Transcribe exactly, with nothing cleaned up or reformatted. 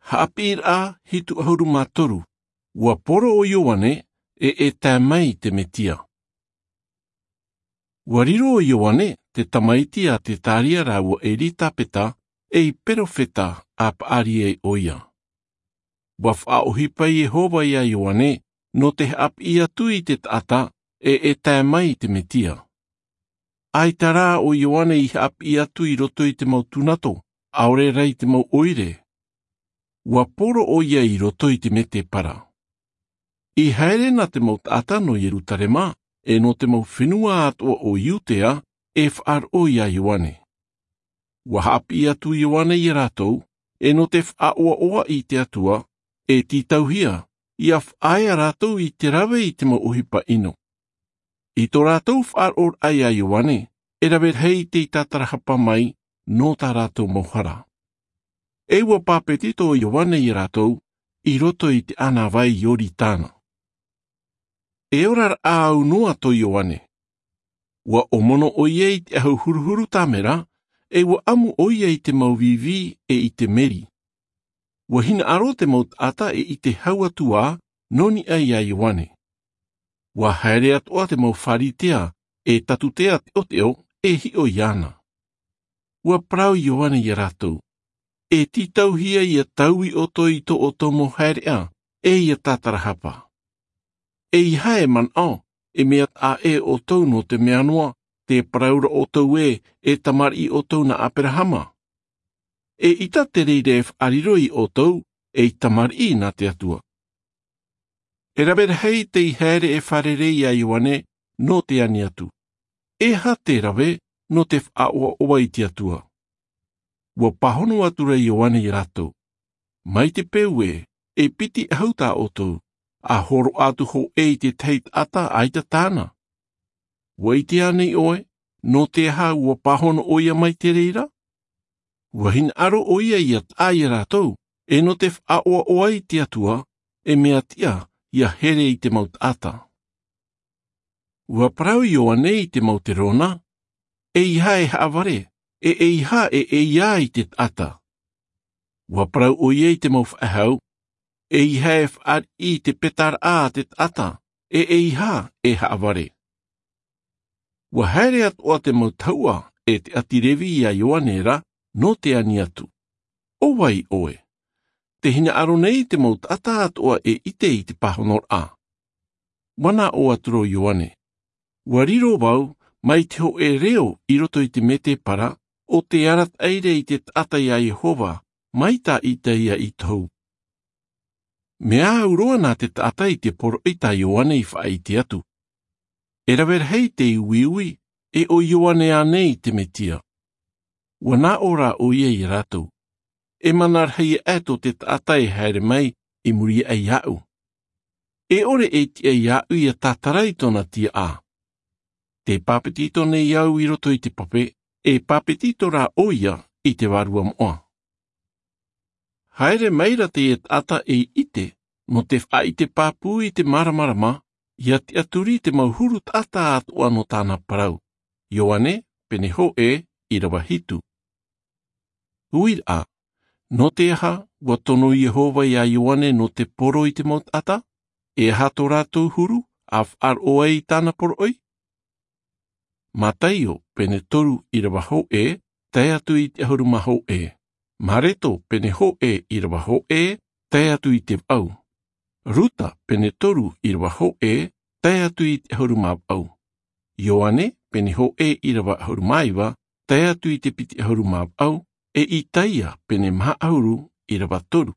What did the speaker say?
Haʻapiʻiraʻa hitu ʻahuru mā toru. Ua poro ʻo Ioane, e e tae mai te Metia. Ua riro ʻo Ioane, te tamaiti a Tetaria rāua e Elisapeta, ei perofeta, a Paʻaria ʻoia. Ua faʻaʻohipa Iehova ia Ioane, nō te haʻapiʻi atu i te taʻata, e e tae mai te Metia. ʻAita rā ʻo Ioane i haʻapiʻi atu i roto i te mau tūnato, ʻaore rā i te mau ʻoire. Ua poro ʻoia i roto i te mētēpara. I haere na te mau taʻata nō Ierutarema, e nō te mau fenua atoʻa o Iudea, e faʻaroʻo ia Ioane. Ua haʻapiʻi atu Ioane ia rātou, e nō te faʻaʻoaʻoa i te Atua, e tītauhia, ia faʻaea rātou i te rave i te mau ʻohipa ʻino. I tō rātou faʻaroʻoraʻa ia Ioane, e rave rahi tei tātarahapa mai, nō tā rātou mau hara. E ua pāpetito ʻo Ioane ia rātou, i roto i te ʻānāvai Ioritana. E ora raʻa au noa tō Ioane. Ua ʻōmono ʻoia i te ʻahu huruhuru tāmera, e ua ʻamu ʻoia i te mau vīvī e i te meri. Ua hinaʻaro te mau taʻata e ʻite hau atu ā, nō niʻa ia Ioane. Ua haere atoʻa te mau Pharisea, e Satusia teʻoteʻo, e hiʻo iāna. Ua parau Ioane ia rātou. E tītauhia ia taui ʻoutou i tō ʻoutou mau haereʻa, e ia tātarahapa. ʻEiaha e manaʻo, e mea taʻa ʻē ʻoutou nō te mea noa, tē parau ra ʻoutou ē, e tamariʻi ʻoutou nā Aberahama. E ʻita te reira e faʻariro ia ʻoutou, ei tamariʻi nā te Atua. E rave rahi tei haere e fārerei ia Ioane, nō te ani atu. E aha te rave, nō te faʻaʻoaʻoa i te Atua. Ua pāhono atu ra Ioane ia rātou. Mai te peu ē, e piti ʻahu tā ʻoutou, a hōroʻa atu hōʻē i te tahi taʻata ʻaita tāna. Ua ʻite ānei ʻoe, nō te aha ua pāhono ʻoia mai te reira? Ua hinaʻaro ʻoia ia taʻa ia rātou, e nō te faʻaʻoaʻoa i te Atua, e mea tiʻa, ia here i te mau taʻata. Ua parau Ioane i te mau terona, ʻeiaha e haʻavare, e ʻeiaha e ʻeiā i te taʻata. Ua parau ʻoia i te mau faʻehau, ʻeiaha e faʻariʻi i te petaraʻa a te taʻata, e ʻeiaha e haʻavare. Ua haere atoʻa te mau tahuʻa, e te ʻāti Levi ia Ioane ra, nō te ani atu. ʻO vai ʻoe? Tē hinaʻaro nei te mau taʻata atoʻa e ʻite i te pāhonoraʻa. Ua nā ʻō atu ra Ioane. Ua riro vau, mai te hōʻē reo i roto i te mētēpara, ʻo tē arataʻi ra i te taʻata ia Iehova, mai tā Isaia i tohu. Mea au roa nā te taʻata i te poroʻi tā Ioane i faʻaʻite atu. E rave rahi tei uiui, e ʻo Ioane ānei te Mesia. Ua nā ʻō ra ʻoia ia rātou. E mana rahi aʻe tō te taʻata e haere mai, i muri aʻe iāʻu. E ʻore e tiʻa iāʻu ia tātara i tōna tiaʻa. Tē pāpetito nei au i roto i te pape, e pāpetito rā ʻoia i te vārua moʻa. Haere mai ra teie taʻata ei ʻite, nō te faʻaʻite pāpū i te māramarama, ia tiʻaturi te mau huru taʻata atoʻa nō tāna parau. Ioane, pene hōʻē, ʻīrava hitu. Uiraʻa, nō te aha, ua tono Iehova ia Ioane nō te poro i te mau taʻata, e aha tō rātou huru, a faʻaroʻo ai i tāna poroʻi? Mataio, pene toru ʻīrava hōʻē, tae atu i te ʻahuru mā hōʻē. Mareko, pene hōʻē ʻīrava hōʻē, tae atu i te vaʻu. Ruta, pene toru ʻīrava hōʻē, tae atu i te ʻahuru mā vaʻu. Ioane, pene hōʻē ʻīrava ʻahuru mā iva, tae atu i te piti ʻahuru mā vaʻu, e Isaia, pene maha ʻahuru ʻīrava toru.